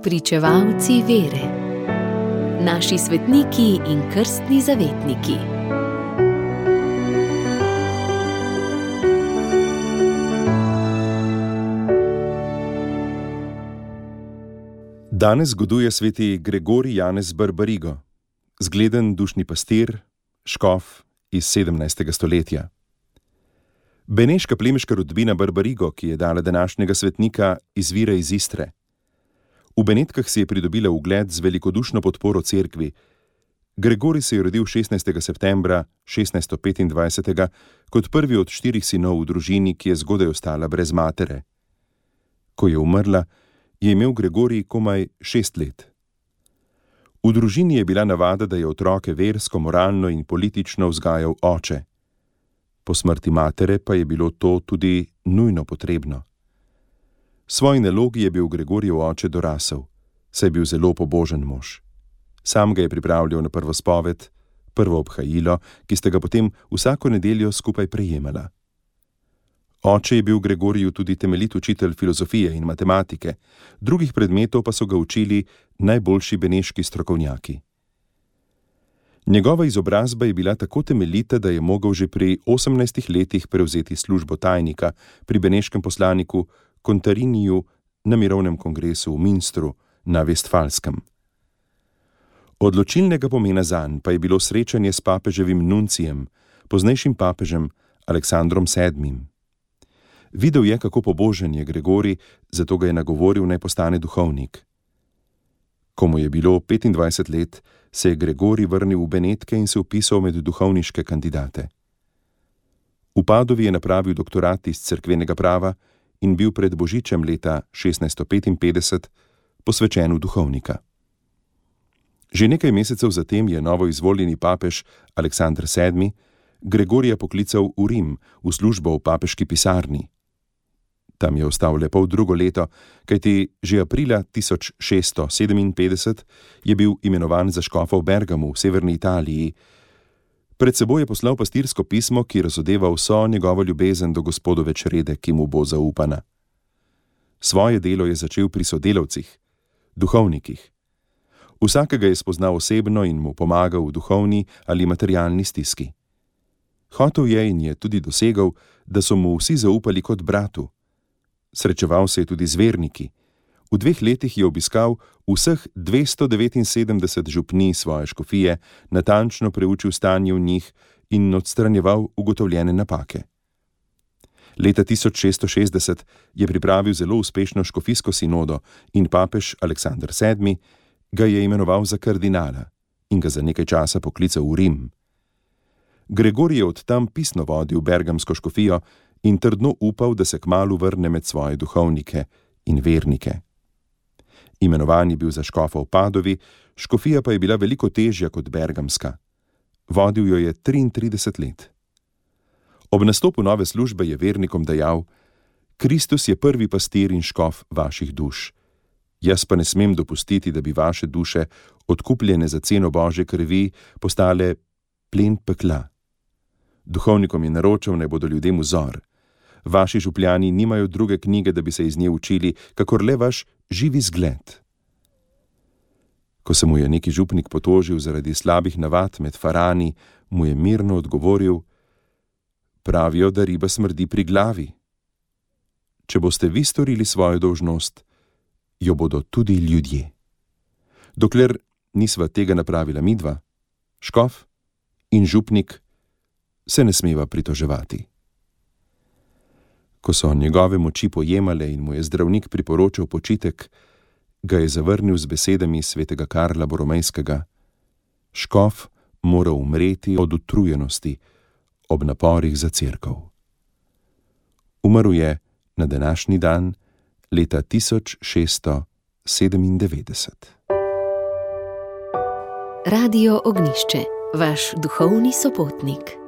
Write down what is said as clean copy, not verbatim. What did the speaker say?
Spričevalci vere. Naši svetniki in krstni zavetniki. Danes zgoduje sveti Gregorij Janez Barbarigo, zgleden dušni pastir, škof iz 17. stoletja. Beneška plemiška rodbina Barbarigo, ki je dala današnjega svetnika, izvira iz Istre. V Benetkah si je pridobila ugled z velikodušno podporo cerkvi. Gregorij se je rodil 16. septembra 1625. kot prvi od 4 sinov v družini, ki je zgodaj ostala brez matere. Ko je umrla, je imel Gregorij komaj 6 let. V družini je bila navada, da je otroke versko, moralno in politično vzgajal oče. Po smrti matere pa je bilo to tudi nujno potrebno. Svoji nalogi je bil Gregorijev oče dorasel, saj je bil zelo pobožen mož. Sam ga je pripravljal na prvo spoved, prvo obhajilo, ki sta ga potem vsako nedeljo skupaj prejemala. Oče je bil Gregoriju tudi temeljit učitelj filozofije in matematike, drugih predmetov pa so ga učili najboljši beneški strokovnjaki. Njegova izobrazba je bila tako temeljita, da je mogel že pri 18 letih prevzeti službo tajnika pri beneškem poslaniku Kontariniju na mirovnem kongresu v Münstru na Vestfalskem. Odločilnega pomena zanj pa je bilo srečanje s papeževim nuncijem, poznejšim papežem Aleksandrom VII. Videl je, kako pobožen je Gregorij, zato ga je nagovoril, naj postane duhovnik. Ko mu je bilo 25 let, se je Gregorij vrnil v Benetke in se vpisal med duhovniške kandidate. V Padovi je napravil doktorat iz cerkvenega prava in bil pred božičem leta 1655 posvečen v duhovnika. Že nekaj mesecev zatem je novo izvoljeni papež Aleksander VII. Gregorija poklical v Rim v službo v papeški pisarni. Tam je ostal le poldrugo leto, kajti že aprila 1657 je bil imenovan za škofa v Bergamu v severni Italiji. Pred seboj je poslal pastirsko pismo, ki razodeva vso njegovo ljubezen do Gospodove črede, ki mu bo zaupana. Svoje delo je začel pri sodelavcih, duhovnikih. Vsakega je spoznal osebno in mu pomagal v duhovni ali materialni stiski. Hotel je in je tudi dosegal, da so mu vsi zaupali kot bratu. Srečeval se je tudi z verniki. V 2 letih je obiskal vseh 279 župnij svoje škofije, natančno preučil stanje v njih in odstranjeval ugotovljene napake. Leta 1660 je pripravil zelo uspešno škofijsko sinodo in papež Aleksander VII. Ga je imenoval za kardinala in ga za nekaj časa poklical v Rim. Gregorij je od tam pisno vodil bergamsko škofijo in trdno upal, da se kmalu vrne med svoje duhovnike in vernike. Imenovan je bil za škofa v Padovi, škofija pa je bila veliko težja kot bergamska. Vodil jo je 33 let. Ob nastopu nove službe je vernikom dejal: Kristus je prvi pastir in škof vaših duš. Jaz pa ne smem dopustiti, da bi vaše duše, odkupljene za ceno Božje krvi, postale plen pekla. Duhovnikom je naročal, naj bodo ljudem vzor. Vaši župljani nimajo druge knjige, da bi se iz nje učili, kakor le vaš živi zgled. Ko se mu je neki župnik potožil zaradi slabih navad med farani, mu je mirno odgovoril: Pravijo, da riba smrdi pri glavi. Če boste vi storili svojo dolžnost, jo bodo tudi ljudje. Dokler nisva tega napravila midva, škof in župnik, se ne smeva pritoževati. Ko so njegove moči pojemale in mu je zdravnik priporočal počitek, ga je zavrnil z besedami svetega Karla Boromejskega: Škof mora umreti od utrujenosti ob naporih za cerkev. Umrl je na današnji dan leta 1697. Radio Ognjišče, vaš duhovni sopotnik.